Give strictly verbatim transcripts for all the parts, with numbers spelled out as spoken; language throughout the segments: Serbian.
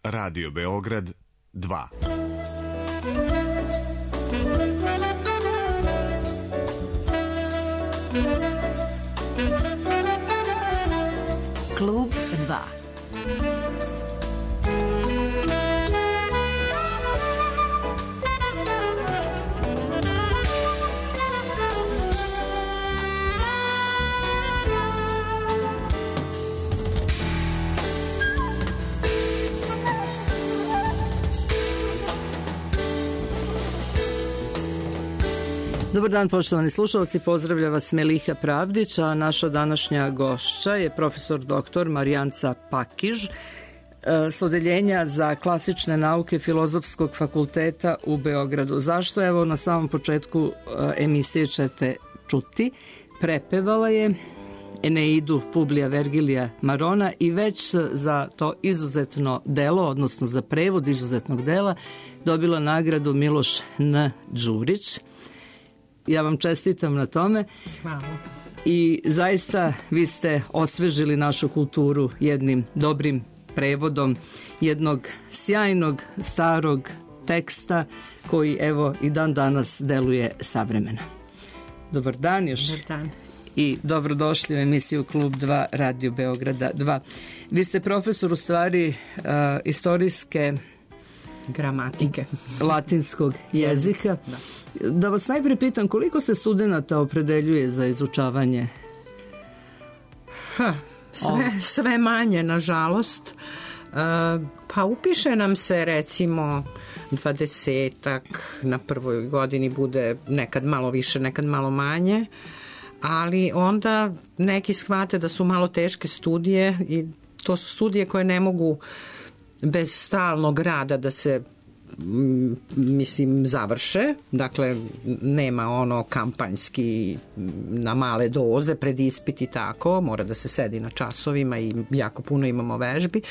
Radio Beograd dva. Klub dva. Dobar dan, poštovani slušalci, pozdravlja vas Meliha Pravdić, a naša današnja gošća je profesor doktor Marijanca Pakiž s odeljenja za klasične nauke Filozofskog fakulteta u Beogradu. Zašto? Evo, na samom početku emisije ćete čuti. Prepevala je Eneidu Publija Vergilija Marona i već za to izuzetno delo, odnosno za prevod izuzetnog dela, dobila nagradu Miloš N. Đurić. Ja vam čestitam na tome. Hvala. I zaista vi ste osvežili našu kulturu jednim dobrim prevodom jednog sjajnog starog teksta koji evo i dan danas deluje savremeno. Dobar dan još. Dobar dan. I dobrodošli u emisiju Klub dva Radio Beograda dva. Vi ste profesor u stvari uh, istorijske gramatike latinskog jezika. Da. Da vas najprije pitam, koliko se studenata opredeljuje za izučavanje? Ha, sve, sve manje, nažalost. Uh, pa upiše nam se recimo dvadesetak, na prvoj godini bude nekad malo više, nekad malo manje, ali onda neki shvate da su malo teške studije i to su studije koje ne mogu bez stalnog rada da se mislim završe, dakle nema ono kampanjski na male doze pred ispit i tako, mora da se sedi na časovima i jako puno imamo vežbi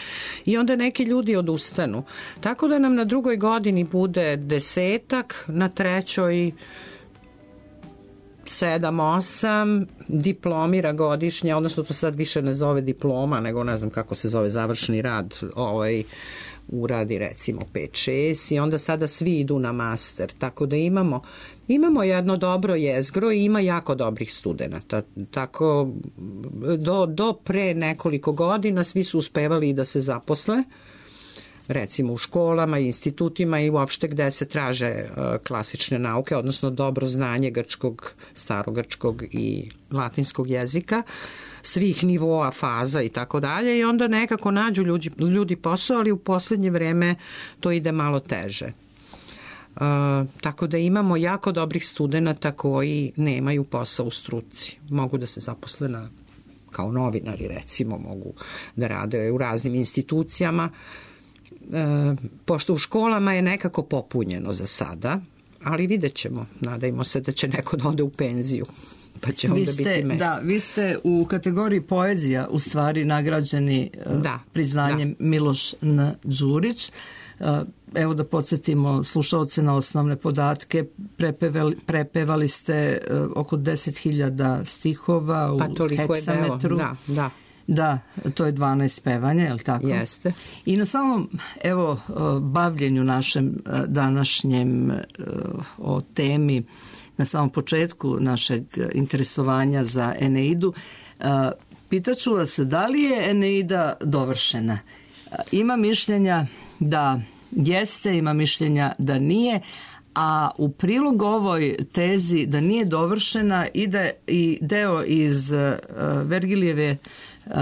i onda neki ljudi odustanu, tako da nam na drugoj godini bude desetak, na trećoj sedam, osam, diplomira godišnje, odnosno to sad više ne zove diploma, nego ne znam kako se zove završni rad, ovaj uradi recimo pet šest i onda sada svi idu na master, tako da imamo imamo jedno dobro jezgro i ima jako dobrih studenata, tako do, do pre nekoliko godina svi su uspevali i da se zaposle, recimo u školama, institutima i uopšte gde se traže uh, klasične nauke, odnosno dobro znanje grčkog, starogrčkog i latinskog jezika, svih nivoa, faza i tako dalje, i onda nekako nađu ljudi, ljudi posao, ali u poslednje vreme to ide malo teže. Uh, tako da imamo jako dobrih studenata koji nemaju posao u struci. Mogu da se zaposle na, kao novinari, recimo, mogu da rade u raznim institucijama, E, pošto u školama je nekako popunjeno za sada, ali vidjet ćemo, nadajmo se da će neko da ode u penziju, pa će onda ste, biti mesto. Da, vi ste u kategoriji poezija u stvari nagrađeni da, priznanjem da. Miloš N. Đurić. Evo da podsjetimo slušaoce na osnovne podatke, prepevali, prepevali ste oko deset hiljada stihova pa u heksametru. Da, da. Da, to je dvanaest pevanja, je li tako? Jeste. I na samom, evo, bavljenju našem današnjem o temi, na samom početku našeg interesovanja za Eneidu, pitaću vas, da li je Eneida dovršena? Ima mišljenja da jeste, ima mišljenja da nije, a u prilog ovoj tezi da nije dovršena ide i deo iz Vergilijeve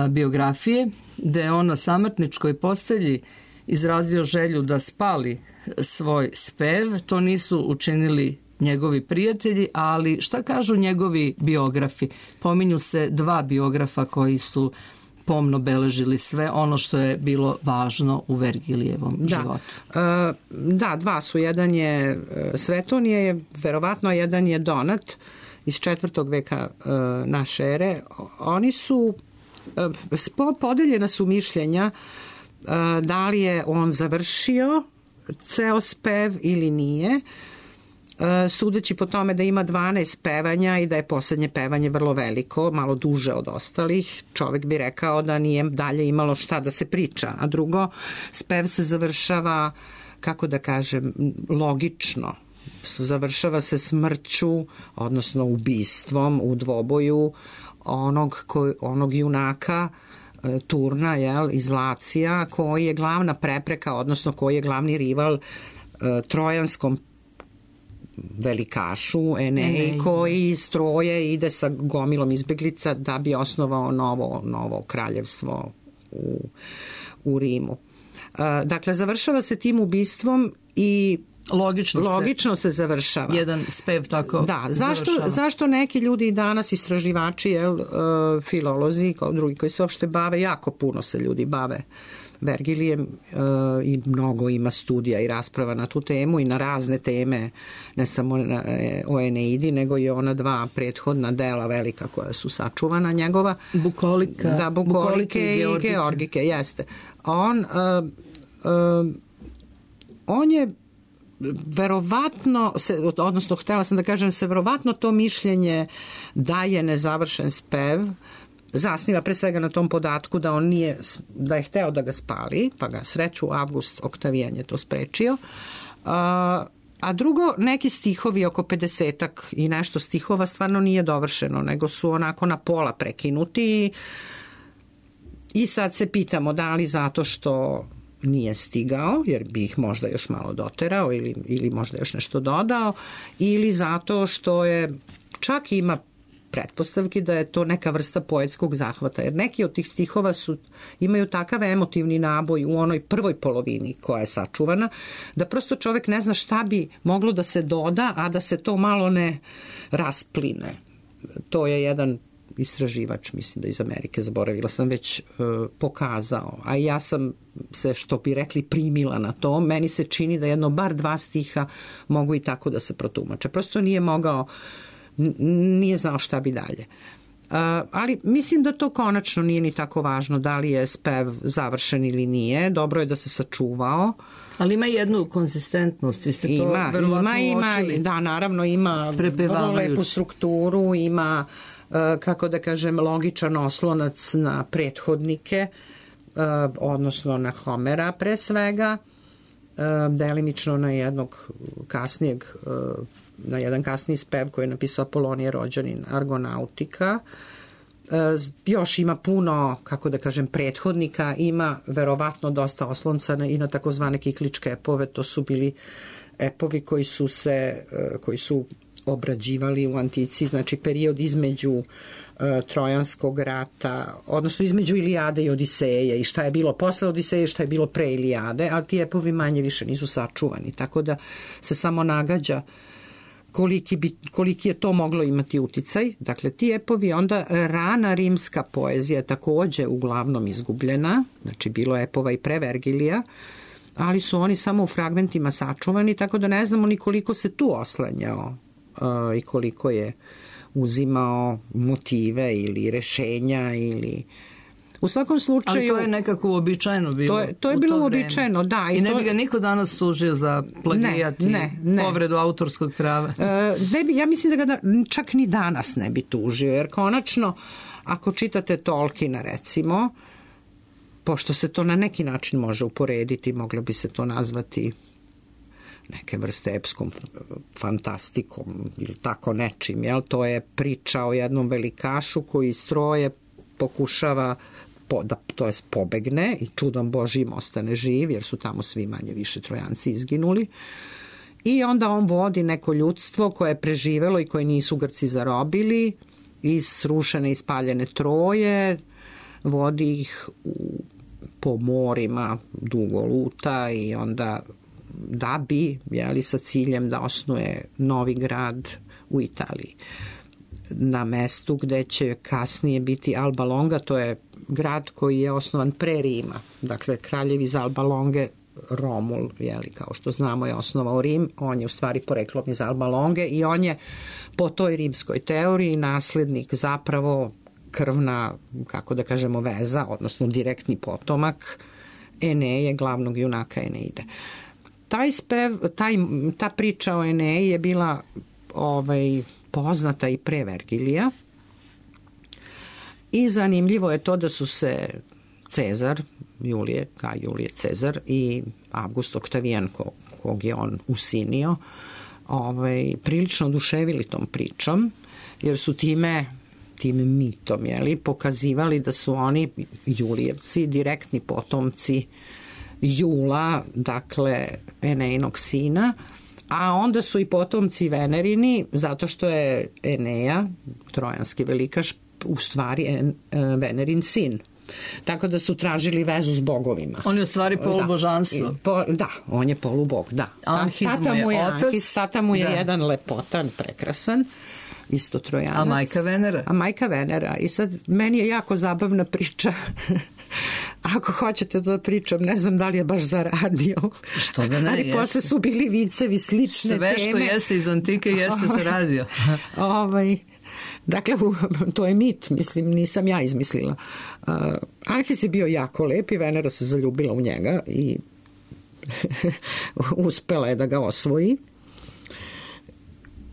biografije, gde je on na samrtničkoj postelji izrazio želju da spali svoj spev. To nisu učinili njegovi prijatelji, ali šta kažu njegovi biografi? Pominju se dva biografa koji su pomno beležili sve ono što je bilo važno u Vergilijevom da. životu. E, da, dva su. Jedan je Svetonije, je verovatno, jedan je Donat iz četvrtog veka e, naše ere. Oni su podeljena su mišljenja da li je on završio ceo spev ili nije. sudeći po tome da ima dvanaest pevanja i da je poslednje pevanje vrlo veliko, malo duže od ostalih, čovek bi rekao da nije dalje imalo šta da se priča. A drugo, spev se završava, kako da kažem, logično. Završava se smrću, odnosno ubistvom u dvoboju onog, ko, onog junaka Turna, jel, iz Lacija, koji je glavna prepreka, odnosno koji je glavni rival trojanskom velikašu Eneji, koji iz Troje ide sa gomilom izbeglica da bi osnovao novo, novo kraljevstvo u, u Rimu. Dakle, završava se tim ubistvom i Logično, logično se, se završava. Jedan spev tako da, zašto, završava. Zašto neki ljudi i danas istraživači, jel, uh, filolozi, kao drugi koji se uopšte bave, jako puno se ljudi bave Vergilijem uh, i mnogo ima studija i rasprava na tu temu i na razne teme, ne samo na, o Eneidi, nego i ona dva prethodna dela velika koja su sačuvana njegova. Bukolika. Da, Bukolike, Bukolike i Georgike. I Georgike, jeste. On, uh, uh, on je verovatno, se, odnosno htela sam da kažem, se verovatno to mišljenje da je nezavršen spev zasniva pre svega na tom podatku da on nije, da je hteo da ga spali, pa ga sreću Avgust Oktavijan je to sprečio. A, a drugo, neki stihovi, oko pedesetak i nešto stihova stvarno nije dovršeno, nego su onako na pola prekinuti i sad se pitamo da li zato što nije stigao, jer bi ih možda još malo doterao ili, ili možda još nešto dodao, ili zato što je, čak ima pretpostavki da je to neka vrsta poetskog zahvata, jer neki od tih stihova su, imaju takav emotivni naboj u onoj prvoj polovini koja je sačuvana, da prosto čovek ne zna šta bi moglo da se doda, a da se to malo ne raspline. To je jedan istraživač, mislim da iz Amerike, zaboravila sam već, uh, pokazao. A ja sam se, što bi rekli, primila na to. Meni se čini da jedno bar dva stiha mogu i tako da se protumače. Prosto nije mogao, nije znao šta bi dalje. Uh, ali mislim da to konačno nije ni tako važno da li je spev završen ili nije. Dobro je da se sačuvao. Ali ima jednu konzistentnost, vi ste to ima, verovatno ima, uočili. Ima, da, naravno ima vrlo lepu strukturu, ima, kako da kažem, logičan oslonac na prethodnike, odnosno na Homera pre svega, delimično na jednog kasnijeg, na jedan kasniji spev koji je napisao Apolonije Rođanin, Argonautika. Još ima puno, kako da kažem, prethodnika, ima verovatno dosta oslonca i na takozvane kikličke epove, to su bili epovi koji su se, koji su obrađivali u antici, znači period između uh, Trojanskog rata, odnosno između Ilijade i Odiseje i šta je bilo posle Odiseje i šta je bilo pre Ilijade, ali ti epovi manje više nisu sačuvani, tako da se samo nagađa koliki, bi, koliki je to moglo imati uticaj. Dakle, ti epovi, onda rana rimska poezija takođe uglavnom izgubljena, znači bilo je epova i pre Vergilija, ali su oni samo u fragmentima sačuvani, tako da ne znamo ni koliko se tu oslanjao uh, i koliko je uzimao motive ili rešenja ili... U svakom slučaju... Ali to je nekako uobičajeno bilo. To je, to je bilo to uobičajeno, da. I, I ne to... bi ga niko danas tužio za plagijat ne, ne, ne. i povredu autorskog prava. E, ne bi, ja mislim da ga da, čak ni danas ne bi tužio, jer konačno, ako čitate Tolkiena, recimo, pošto se to na neki način može uporediti, moglo bi se to nazvati neke vrste epskom fantastikom ili tako nečim, jel? To je priča o jednom velikašu koji iz Troje pokušava po, da to jest pobegne i čudom Božijim ostane živ, jer su tamo svi manje više Trojanci izginuli. I onda on vodi neko ljudstvo koje je preživelo i koje nisu Grci zarobili iz srušene i spaljene Troje, vodi ih u, po morima dugo luta i onda da bi, jeli, sa ciljem da osnuje novi grad u Italiji. Na mestu gde će kasnije biti Alba Longa, to je grad koji je osnovan pre Rima. Dakle, kraljev iz Alba Longe, Romul, jeli, kao što znamo, je osnovao Rim. On je u stvari poreklom iz Alba Longe i on je po toj rimskoj teoriji naslednik, zapravo krvna, kako da kažemo, veza, odnosno direktni potomak Eneje, glavnog junaka Eneide. taj spev, taj, ta priča o Eneji je bila ovaj, poznata i pre Vergilija. I zanimljivo je to da su se Cezar, Julije, ka Julije Cezar i Avgust Oktavijan, ko, kog je on usinio, ovaj, prilično oduševili tom pričom, jer su time, tim mitom, jeli, pokazivali da su oni Julijevci, direktni potomci Jula, dakle Enejnog sina, a onda su i potomci Venerini, zato što je Eneja, trojanski velikaš, u stvari en, Venerin sin. Tako da su tražili vezu s bogovima. On je u stvari polubožanstvo. Po, da, on je polubog, da. Anhis tata mu je otac. Anhis, tata mu je da. jedan lepotan, prekrasan, isto Trojanac. A majka Venera? A majka Venera. I sad, meni je jako zabavna priča. Ako hoćete da pričam, ne znam da li je baš zaradio. Što da ne, ali jeste. posle su bili vicevi slične Sve teme. Sve što jeste iz antike jeste zaradio. ovaj... Dakle, to je mit, mislim, nisam ja izmislila. Uh, Anhis je bio jako lep i Venera se zaljubila u njega i uspela je da ga osvoji.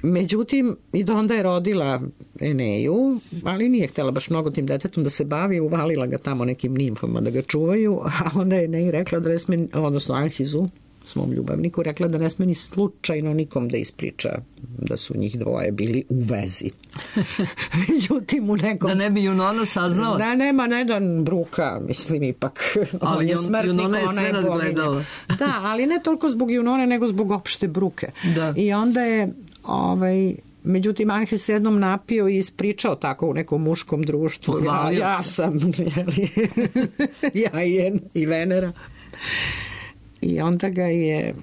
Međutim, i da onda je rodila Eneju, ali nije htjela baš mnogo tim detetom da se bavi, uvalila ga tamo nekim nimfama da ga čuvaju, a onda je Eneji rekla da ne sme, odnosno Anhisu, svom ljubavniku, rekla da ne sme ni slučajno nikom da ispriča da su njih dvoje bili u vezi. Međutim, u nekom... Da ne bi Junona saznala? Da, nema, ne da bruka, mislim, ipak. Ali on je smrtnik, Junona je sve razgledala. Da, ali ne toliko zbog Junone, nego zbog opšte bruke. Da. I onda je, ovaj... Međutim, Anhis se jednom napio i ispričao tako u nekom muškom društvu. Ja, ja sam, jeli, ja i, i Venera. I onda ga je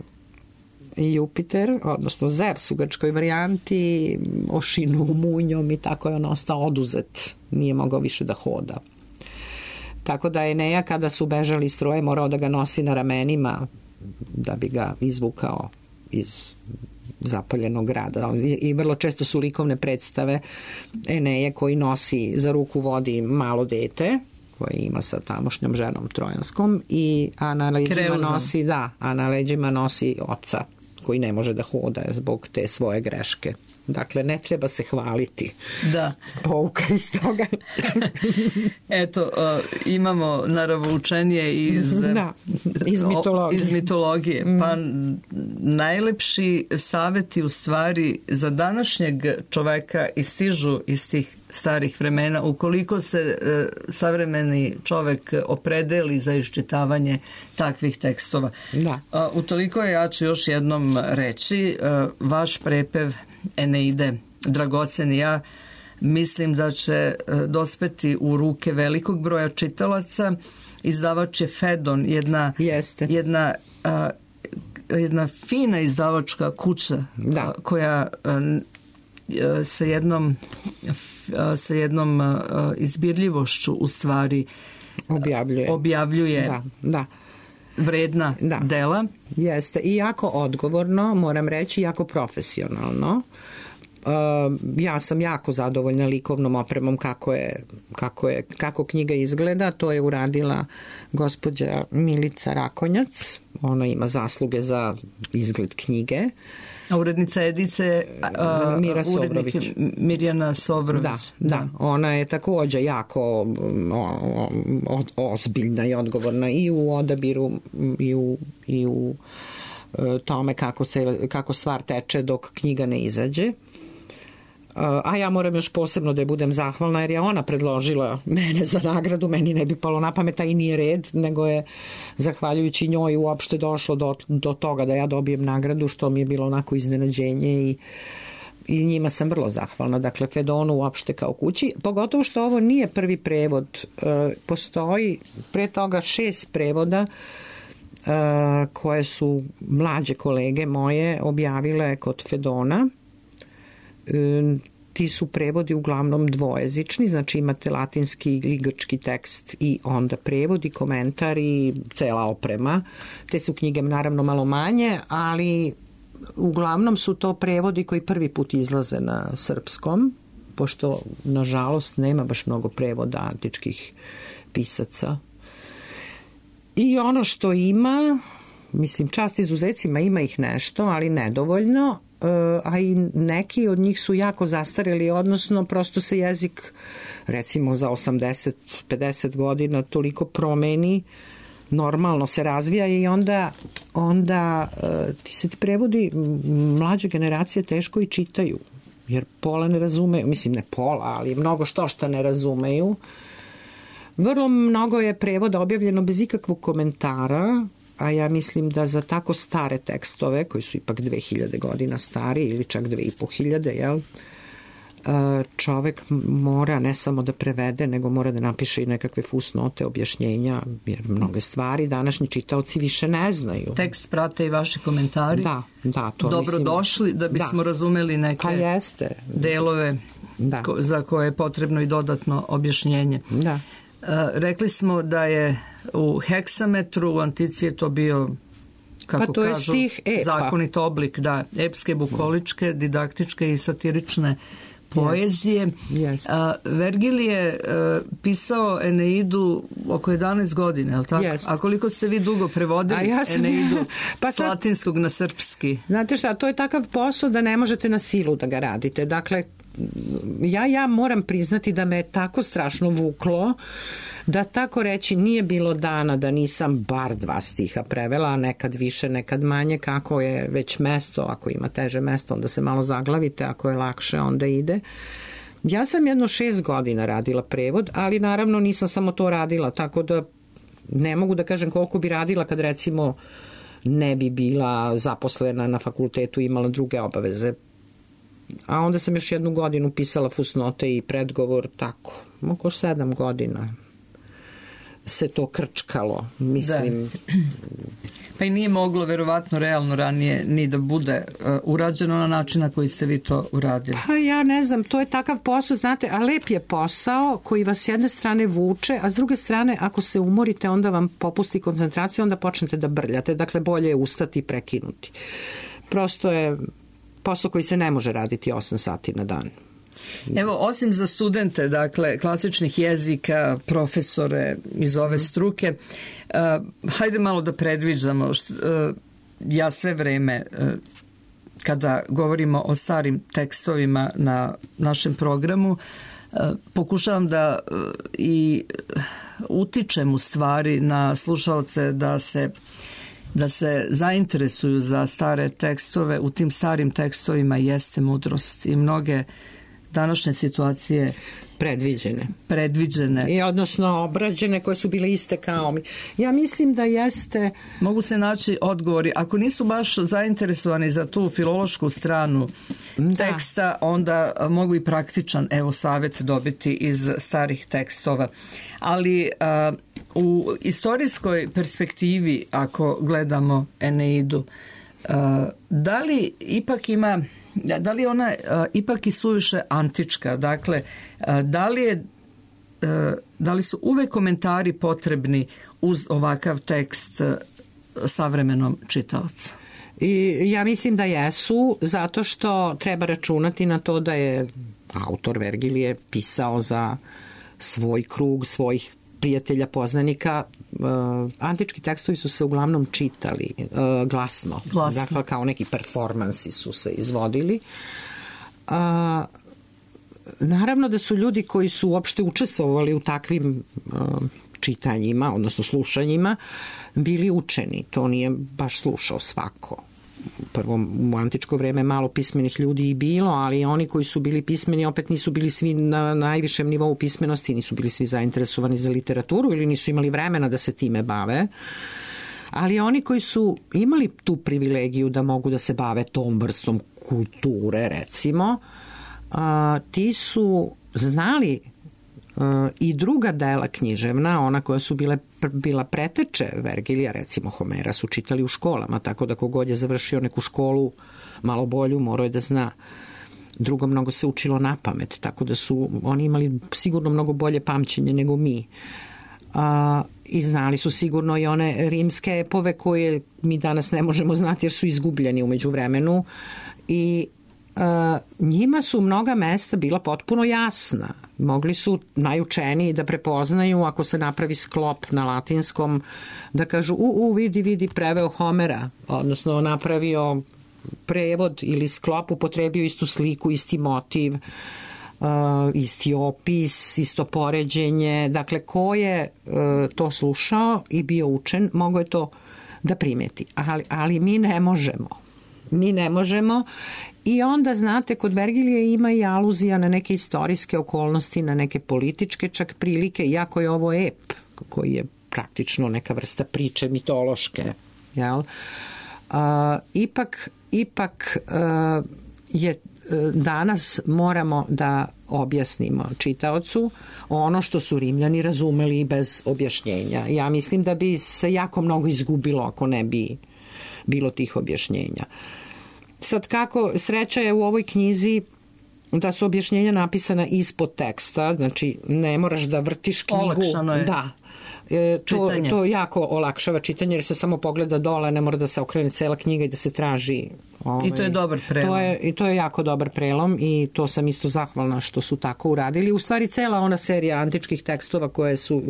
Jupiter, odnosno Zevs u grčkoj varijanti, ošinuo munjom i tako je on ostao oduzet. Nije mogao više da hoda. Tako da Eneja, kada su bežali iz Troje, morao da ga nosi na ramenima da bi ga izvukao iz zapaljenog grada. I vrlo često su likovne predstave Eneje koji nosi za ruku vodi malo dete koje ima sa tamošnjom ženom trojanskom i a na leđima nosi, da, a na leđima nosi oca koji ne može da hoda zbog te svoje greške. Dakle, ne treba se hvaliti. Da. Pouka iz toga. Eto, uh, imamo naravoučenje iz, da, iz mitologije. Iz mitologije. Mm. Pa najlepši saveti u stvari za današnjeg čoveka istižu iz tih starih vremena. Ukoliko se uh, savremeni čovek opredeli za iščitavanje takvih tekstova. Da. Uh, utoliko ja ću još jednom reći, uh, vaš prepev Eneide, dragoceni, ja mislim da će dospeti u ruke velikog broja čitalaca. Izdavač je Fedon, jedna, jedna, a, jedna fina izdavačka kuća, da. koja a, sa jednom a, sa jednom a, izbirljivošću u stvari objavljuje, objavljuje da, da. vredna da. dela. Jeste, i jako odgovorno, moram reći, jako profesionalno. Uh, ja sam jako zadovoljna likovnom opremom kako je, kako je, kako knjiga izgleda. To je uradila gospođa Milica Rakonjac. Ona ima zasluge za izgled knjige. A urednica edice a, Mira Sobrović. Mirjana Sobrović. Da, da, ona je također jako o, o, ozbiljna i odgovorna i u odabiru i u, i u tome kako, se, kako stvar teče dok knjiga ne izađe. A ja moram još posebno da je budem zahvalna jer je ona predložila mene za nagradu, meni ne bi palo na pamet, a i nije red, nego je zahvaljujući njoj uopšte došlo do, do toga da ja dobijem nagradu, što mi je bilo onako iznenađenje i, i njima sam vrlo zahvalna. Dakle, Fedonu uopšte kao kući, pogotovo što ovo nije prvi prevod. Postoji pre toga šest prevoda koje su mlađe kolege moje objavile kod Fedona. Ti su prevodi uglavnom dvojezični, znači imate latinski ili grčki tekst i onda prevod i komentar i cela oprema. Te su knjige naravno malo manje, ali uglavnom su to prevodi koji prvi put izlaze na srpskom, pošto nažalost nema baš mnogo prevoda antičkih pisaca. I ono što ima mislim, čast izuzecima, ima ih nešto, ali nedovoljno, a i neki od njih su jako zastareli, odnosno prosto se jezik, recimo za osamdeset do pedeset godina toliko promeni, normalno se razvija i onda, onda ti se ti prevodi, mlađe generacije teško i čitaju, jer pola ne razumeju, mislim ne pola, ali mnogo što šta ne razumeju. Vrlo mnogo je prevoda objavljeno bez ikakvog komentara, a ja mislim da za tako stare tekstove, koji su ipak dve hiljade godina stari ili čak dve i po hiljade, jel, čovek mora ne samo da prevede, nego mora da napiše i nekakve fusnote, objašnjenja, jer mnoge stvari današnji čitaoci više ne znaju. Tekst prate i vaši komentari. Da, da. To dobro mislim, došli da bismo da. razumeli neke pa jeste. delove da. ko, za koje je potrebno i dodatno objašnjenje. Da. Rekli smo da je u heksametru, u antici je to bio, kako pa to kažu, je stih epa. zakonit oblik, da, epske, bukoličke, didaktičke i satirične poezije. Yes. Yes. A, Vergil je a, pisao Eneidu oko jedanaest godina, je li tako? Yes. A koliko ste vi dugo prevodili ja sam... Eneidu pa sad... s latinskog na srpski? Znate šta, to je takav posao da ne možete na silu da ga radite. Dakle, ja, ja moram priznati da me je tako strašno vuklo da tako reći nije bilo dana da nisam bar dva stiha prevela, a nekad više, nekad manje, kako je već mesto, ako ima teže mesto onda se malo zaglavite, ako je lakše onda ide. Ja sam jedno šest godina radila prevod, ali naravno nisam samo to radila, tako da ne mogu da kažem koliko bi radila kad recimo ne bi bila zaposlena na fakultetu, imala druge obaveze. A onda sam još jednu godinu pisala fusnote i predgovor, tako, oko sedam godina se to krčkalo, mislim. Da. Pa i nije moglo verovatno realno ranije ni da bude uh, urađeno na način na koji ste vi to uradili. Pa ja ne znam, to je takav posao, znate, a lep je posao koji vas s jedne strane vuče, a s druge strane ako se umorite onda vam popusti koncentracija, onda počnete da brljate, dakle bolje je ustati i prekinuti. Prosto je posao koji se ne može raditi osam sati na dan. Evo, osim za studente, dakle, klasičnih jezika, profesore iz ove struke, uh, hajde malo da predviđamo. Št, uh, ja sve vreme, uh, kada govorimo o starim tekstovima na našem programu, uh, pokušavam da uh, i utičem u stvari na slušalce da se da se zainteresuju za stare tekstove. U tim starim tekstovima jeste mudrost i mnoge današnje situacije predviđene. Predviđene. I odnosno obrađene koje su bile iste kao mi. Ja mislim da jeste... Mogu se naći odgovori. Ako nisu baš zainteresovani za tu filološku stranu da. teksta, onda mogu i praktičan, evo, savjet dobiti iz starih tekstova. Ali a, u istorijskoj perspektivi, ako gledamo Eneidu, a, da li ipak ima... Da li je ona uh, ipak i suviše antička? Dakle, uh, da li je uh, da li su uvek komentari potrebni uz ovakav tekst uh, savremenom čitaocu? I ja mislim da jesu, zato što treba računati na to da je autor Vergil je pisao za svoj krug, svojih prijatelja, poznanika. Uh, antički tekstovi su se uglavnom čitali uh, glasno. glasno. Dakle, kao neki performansi su se izvodili. Uh, naravno da su ljudi koji su uopšte učestvovali u takvim uh, čitanjima, odnosno slušanjima, bili učeni. To nije baš slušao svako. Prvo, u antičko vreme malo pismenih ljudi i bilo, ali oni koji su bili pismeni opet nisu bili svi na najvišem nivou pismenosti, nisu bili svi zainteresovani za literaturu ili nisu imali vremena da se time bave. Ali oni koji su imali tu privilegiju da mogu da se bave tom vrstom kulture, recimo, a, ti su znali a, i druga dela književna, ona koja su bile bila preteče Vergilija, recimo Homera, su čitali u školama, tako da kogod je završio neku školu malo bolju, morao je da zna. Drugo, mnogo se učilo na pamet, tako da su oni imali sigurno mnogo bolje pamćenje nego mi. A, i znali su sigurno i one rimske epove koje mi danas ne možemo znati jer su izgubljeni umeđu vremenu i njima su mnoga mesta bila potpuno jasna. Mogli su najučeniji da prepoznaju ako se napravi sklop na latinskom, da kažu u, u vidi, vidi, preveo Homera, odnosno napravio prevod ili sklop, upotrebio istu sliku, isti motiv, uh, isti opis, isto poređenje. Dakle, ko je uh, to slušao i bio učen, mogo je to da primeti. Ali, ali mi ne možemo. Mi ne možemo. I onda, znate, kod Vergilije ima i aluzija na neke istorijske okolnosti, na neke političke čak prilike, iako je ovo ep, koji je praktično neka vrsta priče mitološke. Jel? Uh, ipak, ipak uh, je danas moramo da objasnimo čitaocu ono što su Rimljani razumeli bez objašnjenja. Ja mislim da bi se jako mnogo izgubilo ako ne bi bilo tih objašnjenja. Sad kako, sreća je u ovoj knjizi da su objašnjenja napisana ispod teksta, znači ne moraš da vrtiš knjigu. Olakšano je. Da. E, to, to jako olakšava čitanje jer se samo pogleda dole, ne mora da se okrene cela knjiga i da se traži. Ovaj, I to je dobar prelom. To je, I to je jako dobar prelom i to sam isto zahvalna što su tako uradili. U stvari cela ona serija antičkih tekstova koje su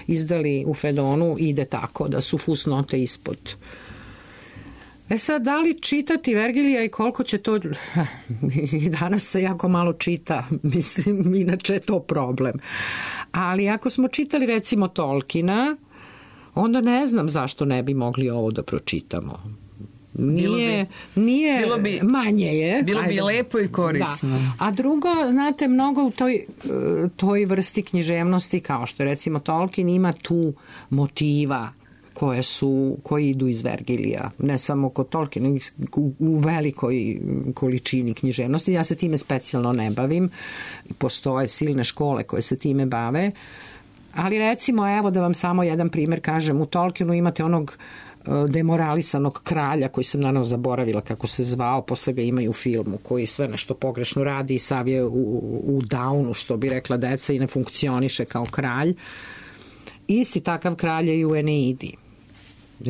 izdali u Fedonu ide tako da su fusnote ispod. E sad, da li čitati Vergilija i koliko će to... I danas se jako malo čita, mislim, inače je to problem. Ali ako smo čitali recimo Tolkiena, onda ne znam zašto ne bi mogli ovo da pročitamo. Nije, bi, nije bilo bi, manje je. Bilo bi ajde, lepo i korisno. Da. A drugo, znate, mnogo u toj, toj vrsti književnosti, kao što recimo Tolkien, ima tu motiva koje su, koji idu iz Vergilija. Ne samo kod Tolkiena, u, u velikoj količini književnosti. Ja se time specijalno ne bavim. Postoje silne škole koje se time bave. Ali recimo, evo da vam samo jedan primer kažem, u Tolkienu imate onog demoralisanog kralja koji sam naravno zaboravila kako se zvao, posle ga imaju u filmu koji sve nešto pogrešno radi i sav je u, u downu, što bi rekla deca, i ne funkcioniše kao kralj. Isti takav kralj je i u Eneidi.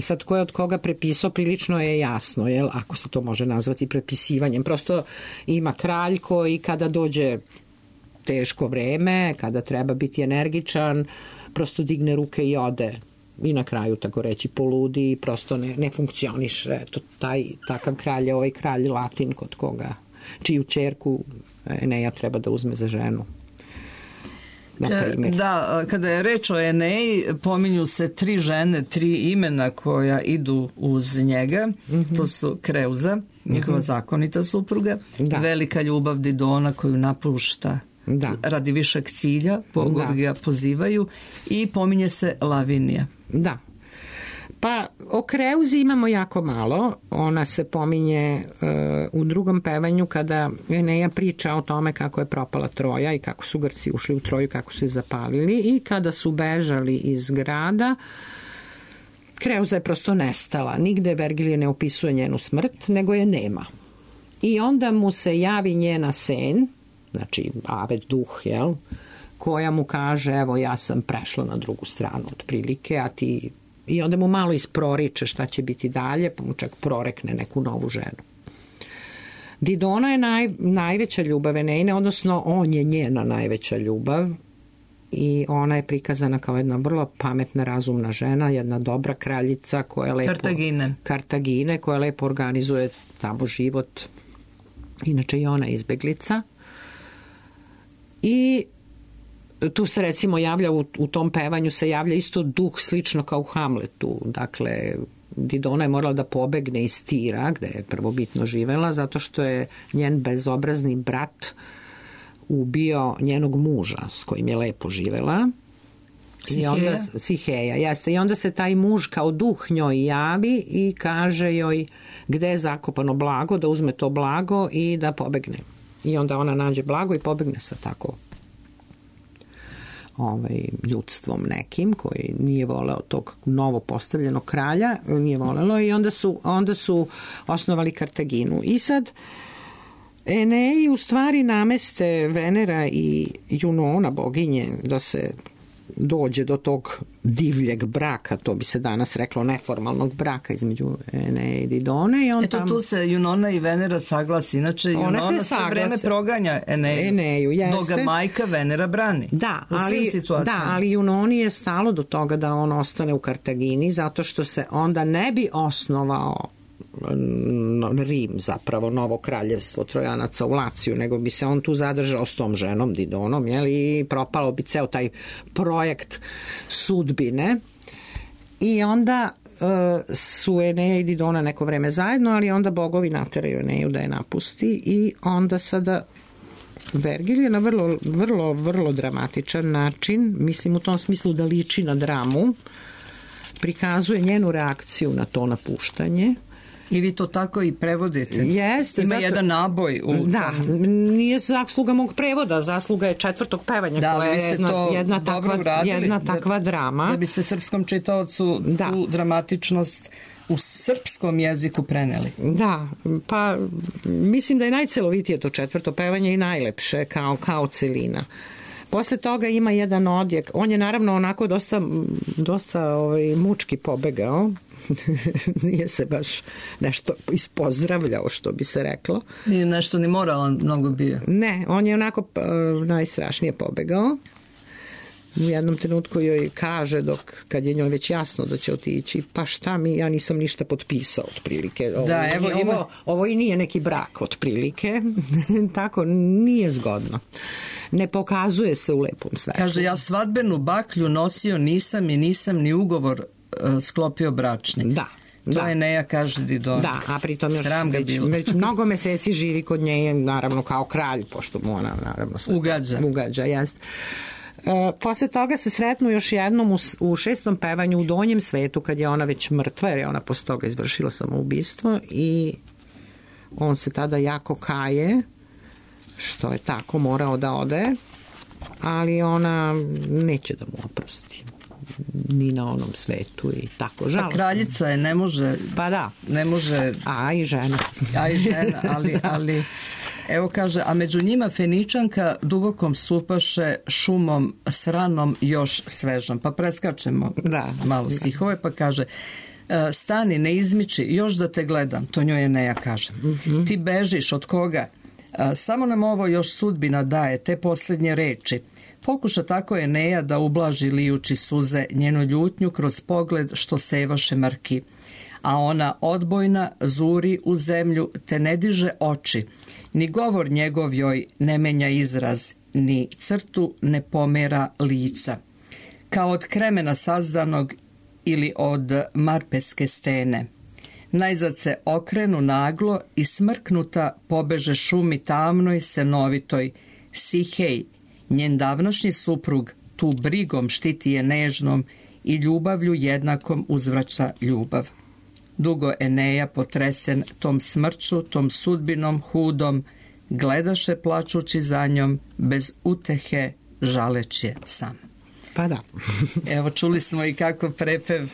Sad ko je od koga prepisao prilično je jasno, jel? Ako se to može nazvati prepisivanjem. Prosto ima kralj koji kada dođe teško vreme, kada treba biti energičan, prosto digne ruke i ode i na kraju, tako reći, poludi i prosto ne, ne funkcioniše. To, taj, takav kralj je ovaj kralj Latin kod koga, čiju ćerku Eneja treba da uzme za ženu. Da, kada je reč o Eneji, pominju se tri žene, tri imena koja idu uz njega. Mm-hmm. To su Kreuza, njegova mm-hmm. zakonita supruga, da. Velika ljubav Didona koju napušta da. Radi višeg cilja, bogovi ga pozivaju, i pominje se Lavinija. Da. Pa o Kreuzi imamo jako malo. Ona se pominje uh, u drugom pevanju kada Eneja priča o tome kako je propala Troja i kako su Grci ušli u Troju, kako su je zapalili, i kada su bežali iz grada, Kreuza je prosto nestala. Nigde Vergilije ne opisuje njenu smrt, nego je nema. I onda mu se javi njena sen, znači Avet duh, jel, koja mu kaže, evo ja sam prešla na drugu stranu otprilike, a ti... I onda mu malo isproriče šta će biti dalje, pa mu čak prorekne neku novu ženu. Didona je naj, najveća ljubav Enejine, odnosno on je njena najveća ljubav i ona je prikazana kao jedna vrlo pametna, razumna žena, jedna dobra kraljica koja lepo... Kartagine. Kartagine, koja lepo organizuje tamo život. Inače i ona je izbeglica. I tu se recimo javlja u, u tom pevanju se javlja isto duh slično kao u Hamletu. Dakle, Didona je morala da pobegne iz Tira, gde je prvobitno živela, zato što je njen bezobrazni brat ubio njenog muža s kojim je lepo živela. Siheja. I onda, Siheja, jeste. I onda se taj muž kao duh njoj javi i kaže joj gde je zakopano blago, da uzme to blago i da pobegne. I onda ona nađe blago i pobegne sa tako ovaj, ljudstvom nekim koji nije voleo tog novo postavljenog kralja, nije volelo, i onda su, onda su osnovali Kartaginu. I sad Eneji u stvari nameste Venera i Junona, boginje, da se dođe do tog divljeg braka, to bi se danas reklo neformalnog braka između Eneje i Didone. I on Eto tam... tu se Junona i Venera saglasi, inače Junona sve vreme proganja Eneju, Eneju jeste. dok ga majka Venera brani. Da, ali, da, ali Junoni je stalo do toga da on ostane u Kartagini, zato što se onda ne bi osnovao Rim, zapravo novo kraljevstvo Trojanaca u Laciju, nego bi se on tu zadržao s tom ženom Didonom, jeli, i propalo bi ceo taj projekt sudbine. I onda uh, su Eneja i Didona neko vreme zajedno, ali onda bogovi nateraju Eneju da je napusti i onda sada Vergil je na vrlo, vrlo, vrlo dramatičan način, mislim u tom smislu da liči na dramu, prikazuje njenu reakciju na to napuštanje. I vi to tako i prevodite. Jeste. Ima zato, jedan naboj. U da, tom... nije zasluga mog prevoda, zasluga je četvrtog pevanja, da, koja je jedna, jedna, takva, uradili, jedna takva da, drama. Da biste srpskom čitaocu da. tu dramatičnost u srpskom jeziku preneli. Da, pa mislim da je najcelovitije to četvrto pevanje i najlepše kao, kao celina. Posle toga ima jedan odjek. On je naravno onako dosta, dosta ovaj, mučki pobegao. Nije se baš nešto ispozdravljao, što bi se reklo. Nije nešto ni moralan mnogo bio. Ne, on je onako uh, najstrašnije pobegao. U jednom trenutku joj kaže, dok kad je njoj već jasno da će otići, pa šta mi, ja nisam ništa potpisao otprilike. Ovo, da, evo, ovo, ima... ovo i nije neki brak otprilike. Tako, nije zgodno. Ne pokazuje se u lepom svetlu. Kaže, ja svadbenu baklju nosio nisam i nisam ni ugovor uh, sklopio bračni. Da. To da. je Eneja kaže Didon. Da, a pritom još već, već mnogo meseci živi kod nje, naravno kao kralj, pošto mu ona naravno sve ugađa. Ugađa, jest. E, posle toga se sretnu još jednom u, u šestom pevanju u donjem svetu, kad je ona već mrtva, jer je ona posle toga izvršila samoubistvo i on se tada jako kaje, što je tako morao da ode, ali ona neće da mu oprosti ni na onom svetu i tako žalostno. A kraljica je, ne može... Pa da. Ne može... A i žena. A i žena, ali... ali evo kaže, a među njima Feničanka dubokom stupaše šumom sranom još svežom. Pa preskačemo da, malo stihove, pa kaže stani, ne izmiči, još da te gledam, to njoj Eneja kaže. Mm-hmm. Ti bežiš, od koga? Samo nam ovo još sudbina daje, te posljednje reči. Pokuša tako Eneja da ublaži lijući suze njenu ljutnju kroz pogled što sevaše mrki. A ona odbojna zuri u zemlju te ne diže oči, ni govor njegov joj ne menja izraz, ni crtu ne pomera lica. Kao od kremena sazdanog ili od marpeske stene. Najzad se okrenu naglo i smrknuta pobeže šumi tamnoj senovitoj. Sihej, njen davnašnji suprug, tu brigom štiti je nežnom i ljubavlju jednakom uzvraća ljubav. Dugo Eneja, potresen tom smrću, tom sudbinom hudom, gledaše plačući za njom, bez utehe žaleće sam. Pa da. Evo, čuli smo i kako prepev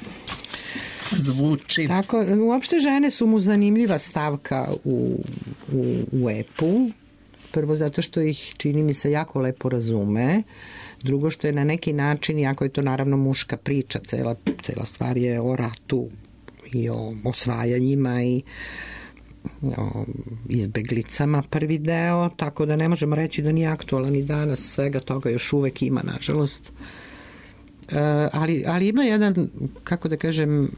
zvuči. Tako, uopšte žene su mu zanimljiva stavka u, u, u epu. Prvo zato što ih, čini mi se, jako lepo razume. Drugo što je na neki način, iako je to naravno muška priča, cela, cela stvar je o ratu i o osvajanjima i o izbeglicama prvi deo, tako da ne možemo reći da nije aktualan i danas, svega toga još uvek ima, nažalost. E, ali, ali ima jedan, kako da kažem,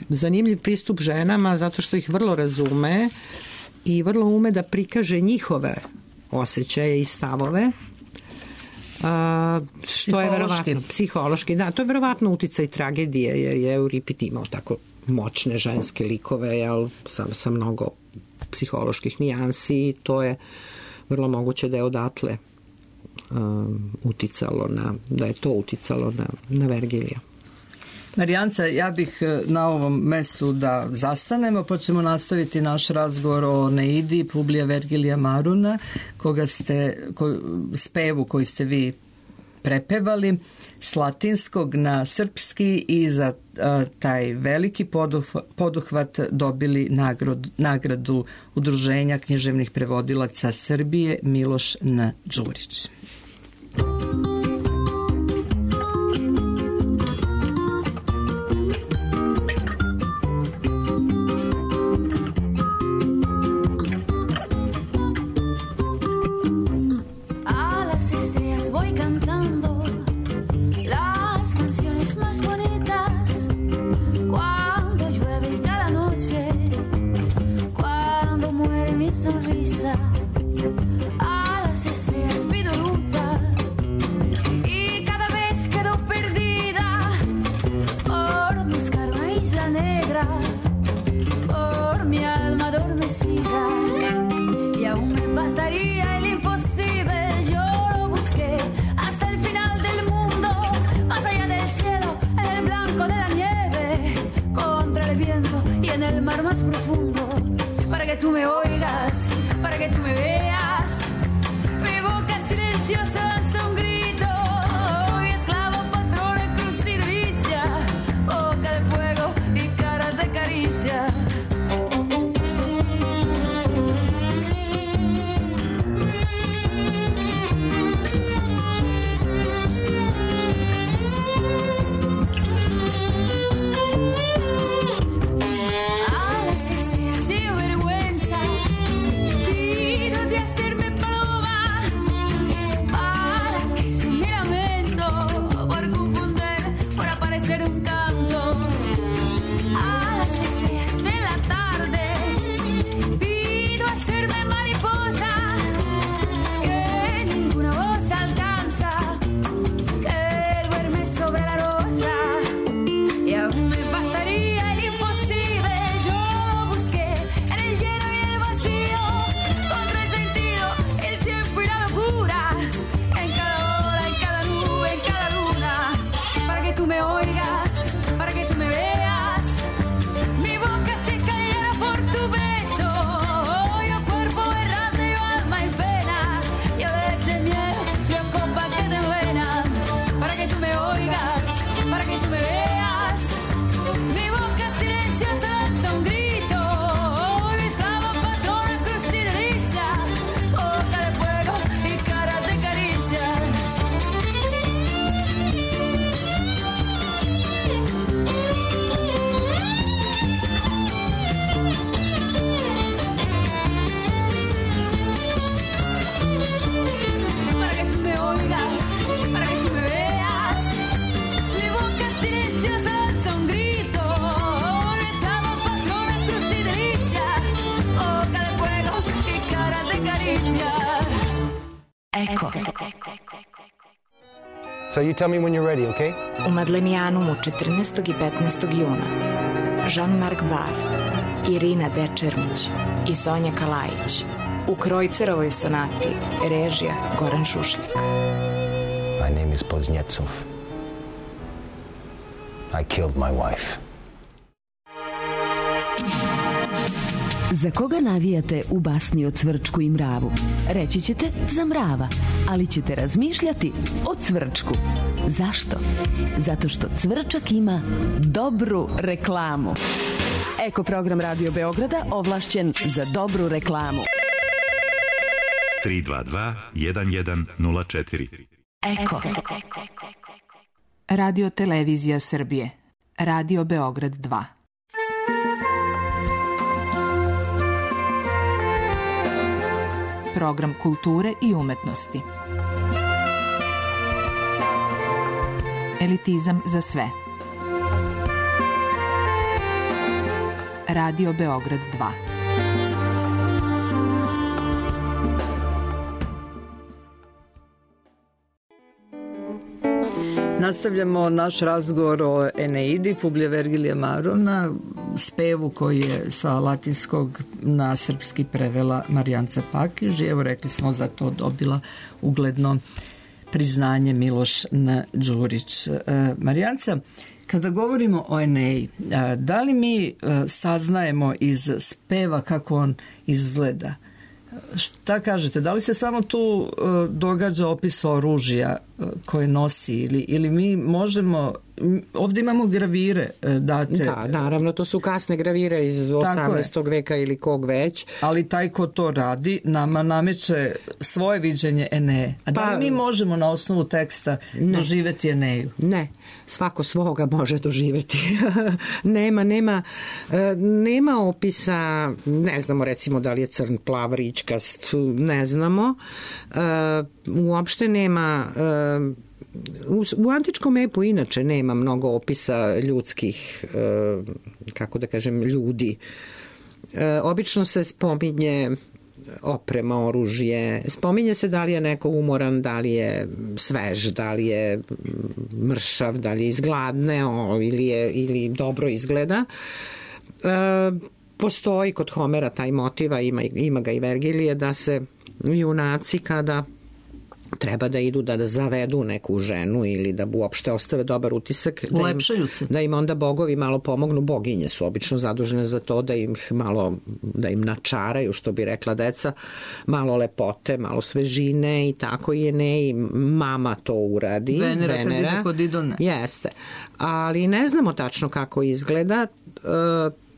zanimljiv pristup ženama zato što ih vrlo razume i vrlo ume da prikaže njihove osjećaje i stavove. A, što je verovatno psihološki, da, to je verovatno uticaj tragedije, jer je Euripid imao tako moćne ženske likove, jel, sa, sa mnogo psiholoških nijansi i to je vrlo moguće da je odatle um, uticalo na, da je to uticalo na, na Vergilija. Marijanca, ja bih na ovom mestu da zastanemo, pa ćemo nastaviti naš razgovor o Neidi Publija Vergilija Maruna, koga ste, ko, spevu koji ste vi prepevali s latinskog na srpski i za a, taj veliki poduhvat, poduhvat dobili nagradu, nagradu Udruženja književnih prevodilaca Srbije Miloš N. Đurić. sonrisa, a las estrellas pido ruta y cada vez quedo perdida por buscar una isla negra, por mi alma adormecida, y aún me bastaría el imposible. Yo lo busqué hasta el final del mundo, más allá del cielo, en el blanco de la nieve, contra el viento y en el mar más profundo, para que tú me oigas, para que tú me veas. Mi boca silenciosa lanza un grito, y esclavo, patrón, cruz y delicia, boca de fuego y cara de caricia. So you tell me when you're ready, okay? U Madlenijanum četrnaestog i petnaestog juna Jean-Marc Bar, Irina Dečermić i Sonja Kalajić u Krojcerovoj sonati, režija Goran Šušljak. My name is Poznjecov. I killed my wife. Za koga navijate u basni o Cvrčku i mravu? Reći ćete za mrava, ali ćete razmišljati o Cvrčku. Zašto? Zato što Cvrčak ima dobru reklamu. Eko program Radio Beograda ovlašćen za dobru reklamu. tri dva dva jedan jedan nula četiri. Eko. Radio Televizija Srbije. Radio Beograd dva. Program kulture i umetnosti. Elitizam za sve. Radio Beograd dva. Nastavljamo naš razgovor o Eneidi Publija Vergilija Marona, spevu koji je sa latinskog na srpski prevela Marijanca Pakiž. I evo, rekli smo, za to dobila ugledno priznanje Miloš N. Đurić. E, Marijanca, kada govorimo o Eneji, da li mi saznajemo iz speva kako on izgleda? Šta kažete, da li se samo tu uh, događa opis oružja uh, koje nosi ili, ili mi možemo, ovdje imamo gravire uh, date. Da, naravno, to su kasne gravire iz osamnaestog veka ili kog već. Ali taj ko to radi nama nameće svoje viđenje Eneje. A da li pa, mi možemo na osnovu teksta ne, doživjeti Eneju? Ne, svako svoga može doživjeti. nema, nema, nema opisa, ne znamo recimo da li je crn, plav, ričkast, ne znamo. Uopšte nema... U, u antičkom epu inače nema mnogo opisa ljudskih, kako da kažem, ljudi. Obično se spominje oprema, oružje. Spominje se da li je neko umoran, da li je svež, da li je mršav, da li je izgladneo ili, je, ili dobro izgleda. E, postoji kod Homera taj motiva, ima, ima ga i Vergilije, da se junaci kada treba da idu da, da zavedu neku ženu ili da uopšte ostave dobar utisak, da im, da im onda bogovi malo pomognu. Boginje su obično zadužene za to da im malo, da im načaraju, što bi rekla deca, malo lepote, malo svežine i tako je ne, i mama to uradi. Venera, Venera kad ide kod Idone. Jeste, ali ne znamo tačno kako izgleda. E,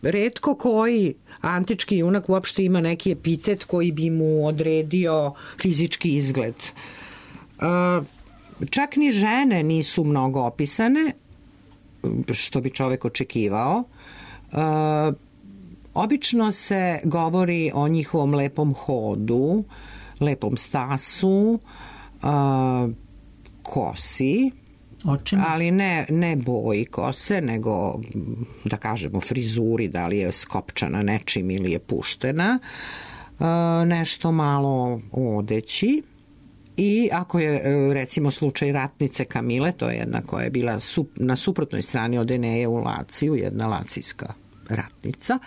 retko koji antički junak uopšte ima neki epitet koji bi mu odredio fizički izgled. Čak ni žene nisu mnogo opisane, što bi čovek očekivao. Obično se govori o njihovom lepom hodu, lepom stasu, kosi, očima, ali ne, ne boji kose, nego da kažemo frizuri, da li je skopčana nečim ili je puštena, nešto malo odeći. I ako je recimo slučaj ratnice Kamile, to je jedna koja je bila na suprotnoj strani od Eneje u Laciju, jedna lacijska ratnica,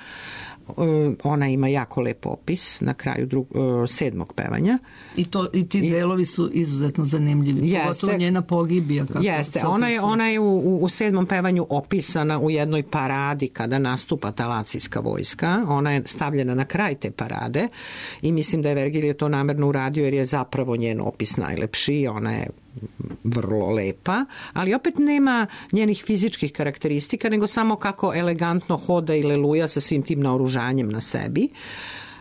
ona ima jako lep opis na kraju drug, sedmog pevanja. I, to, i ti delovi su izuzetno zanimljivi. Jeste, pogotovo njena pogibija. Kako jeste, ona je, ona je u, u sedmom pevanju opisana u jednoj paradi kada nastupa ta lacijska vojska. Ona je stavljena na kraj te parade i mislim da je Vergilije to namerno uradio jer je zapravo njen opis najlepši. Ona je vrlo lepa, ali opet nema njenih fizičkih karakteristika, nego samo kako elegantno hoda i leluja sa svim tim naoružanjem na sebi.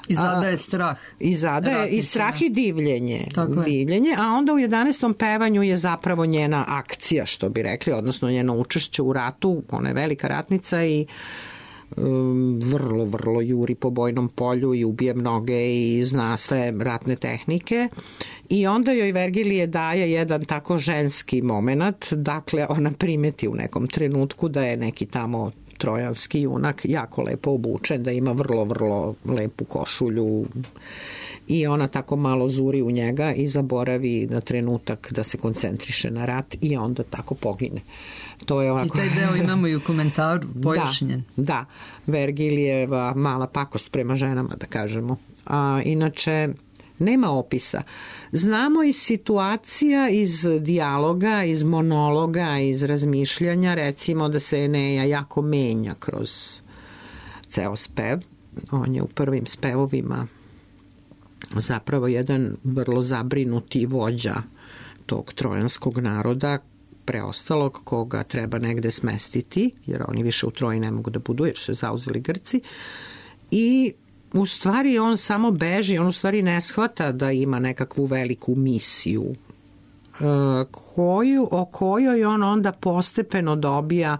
I zadaje strah. I zadaje i strah i divljenje. divljenje. A onda u jedanaestom pevanju je zapravo njena akcija, što bi rekli, odnosno njeno učešće u ratu. Ona je velika ratnica i um, vrlo, vrlo juri po bojnom polju i ubije mnoge i zna sve ratne tehnike. I onda joj Vergilije daje jedan tako ženski moment, dakle ona primeti u nekom trenutku da je neki tamo trojanski junak jako lepo obučen, da ima vrlo, vrlo lepu košulju i ona tako malo zuri u njega i zaboravi na trenutak da se koncentriše na rat i onda tako pogine. To je ovako... I taj deo imamo i u komentaru pojašnjen. Da, da, Vergilijeva mala pakost prema ženama, da kažemo. A, inače, nema opisa. Znamo iz situacija, iz dijaloga, iz monologa, iz razmišljanja, recimo da se Eneja jako menja kroz ceo spev. On je u prvim spevovima zapravo jedan vrlo zabrinuti vođa tog trojanskog naroda, preostalog koga treba negde smestiti, jer oni više u Troji ne mogu da budu, jer su zauzeli Grci. I u stvari on samo beži, on u stvari ne shvata da ima nekakvu veliku misiju koju, o kojoj on onda postepeno dobija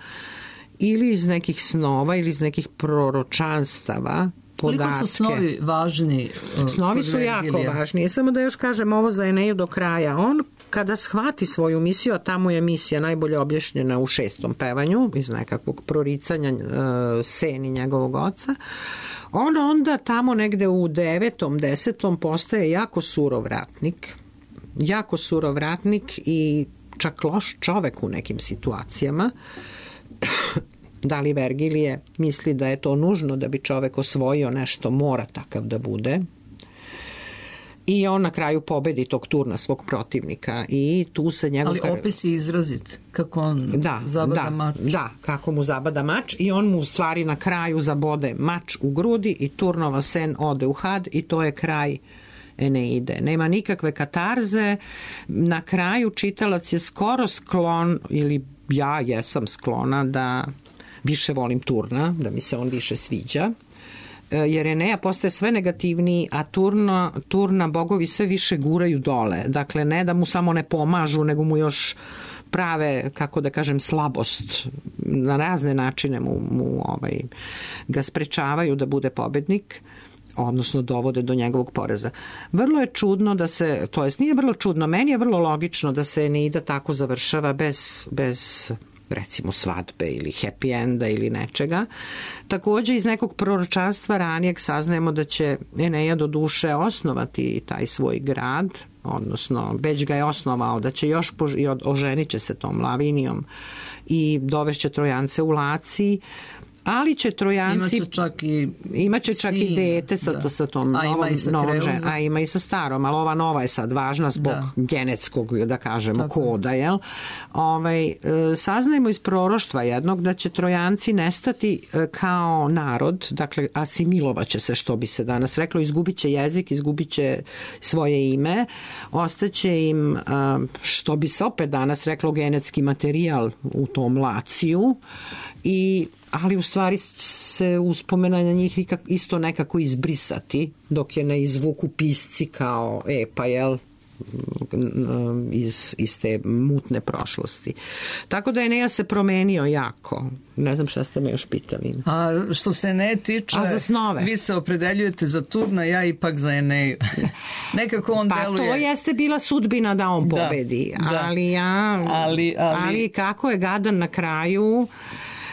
ili iz nekih snova ili iz nekih proročanstava podatke. Koliko su snovi važni? Uh, snovi su jako važni. Samo da još kažem ovo za Eneju do kraja. On kada shvati svoju misiju, a tamo je misija najbolje objašnjena u šestom pevanju, iz nekakvog proricanja uh, seni njegovog oca, on onda tamo negde u devetom, desetom postaje jako surov ratnik. Jako surov ratnik i čak loš čovek u nekim situacijama. Da li Vergilije misli da je to nužno da bi čovek osvojio nešto, mora takav da bude. I on na kraju pobedi tog turna svog protivnika i tu se njegov... Ali opis je izrazit, kako on da, zabada da, mač. Da, kako mu zabada mač i on mu u stvari na kraju zabode mač u grudi i turnova sen ode u had i to je kraj Eneide. Nema nikakve katarze, na kraju čitalac je skoro sklon, ili ja jesam sklona da više volim Turna, da mi se on više sviđa, jer Eneja postaje sve negativniji, a Turna, Turna bogovi sve više guraju dole. Dakle, ne da mu samo ne pomažu, nego mu još prave, kako da kažem, slabost. Na razne načine mu, mu ovaj, ga sprečavaju da bude pobednik, odnosno dovode do njegovog poraza. Vrlo je čudno da se, to jest nije vrlo čudno, meni je vrlo logično da se Eneida tako završava bez, bez recimo svadbe ili happy enda ili nečega. Takođe iz nekog proročanstva ranijeg saznajemo da će Eneja do duše osnovati taj svoj grad, odnosno već ga je osnovao, da će još pož- oženit će se tom Lavinijom i dovešće Trojance u Laciji, ali će Trojanci imaće čak i imaće čak sin, i dete sa, to, sa tom a novom, ima sa novom Kreuzom. a ima i sa starom, ali ova nova je sad važna zbog da. genetskog, da kažemo, Tako. koda, jel? Ovaj, e, saznajemo iz proroštva jednog da će Trojanci nestati e, kao narod, dakle asimilovaće se, što bi se danas reklo, izgubit će jezik, izgubit će svoje ime, ostaće im, e, što bi se opet danas reklo, genetski materijal u tom Laciju, i ali u stvari se uspomena na njih isto nekako izbrisati dok je ne izvuku pisci kao epa, jel, iz, iz te mutne prošlosti. Tako da Eneja se promenio jako. Ne znam šta ste me još pitali. A što se ne tiče, a za snove? Vi se opredeljujete za Turna, ja ipak za Eneju. Nekako on pa deluje... to jeste bila sudbina da on pobedi. Da, da. Ali ja... Ali, ali... ali kako je gadan na kraju...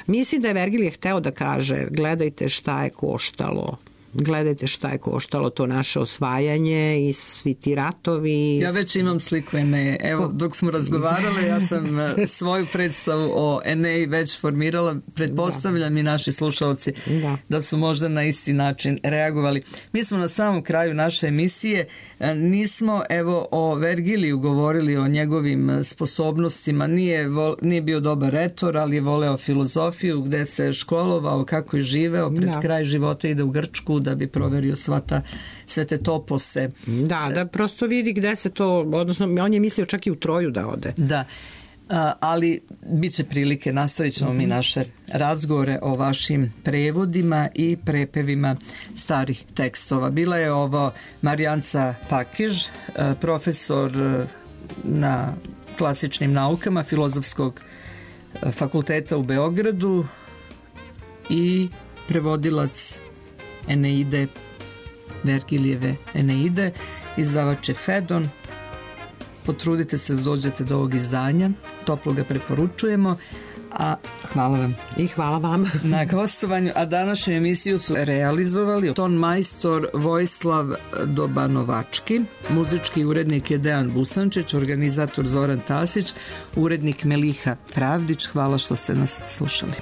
Mislim da je Vergilije hteo da kaže gledajte šta je koštalo. Gledajte šta je koštalo to naše osvajanje i svi ti ratovi. Ja već imam sliku Eneje. Evo, dok smo razgovarali, ja sam svoju predstavu o Eneji već formirala. Pretpostavljam da. I naši slušalci da. da su možda na isti način reagovali. Mi smo na samom kraju naše emisije. Nismo, evo, o Vergiliju govorili, o njegovim sposobnostima. Nije, vol, nije bio dobar retor, ali je voleo filozofiju, gde se školovao, kako je živeo. Pred da. kraj života ide u Grčku da bi proverio sva ta, sve te topose. Da, da prosto vidi gde se to, odnosno on je mislio čak i u Troju da ode. Da, a, ali bit će prilike, nastavit ćemo mm-hmm. mi naše razgovore o vašim prevodima i prepevima starih tekstova. Bila je ovo Marijanca Pakiž, profesor na klasičnim naukama Filozofskog fakulteta u Beogradu i prevodilac Eneide, Vergilijeve Eneide, izdavač je Fedon. Potrudite se da dođete do ovog izdanja, toplo ga preporučujemo, a hvala vam. I hvala vam. Na gostovanju, a današnju emisiju su realizovali ton majstor Vojislav Dobanovački, muzički urednik je Dejan Busančić, organizator Zoran Tasić, urednik Meliha Pravdić. Hvala što ste nas slušali.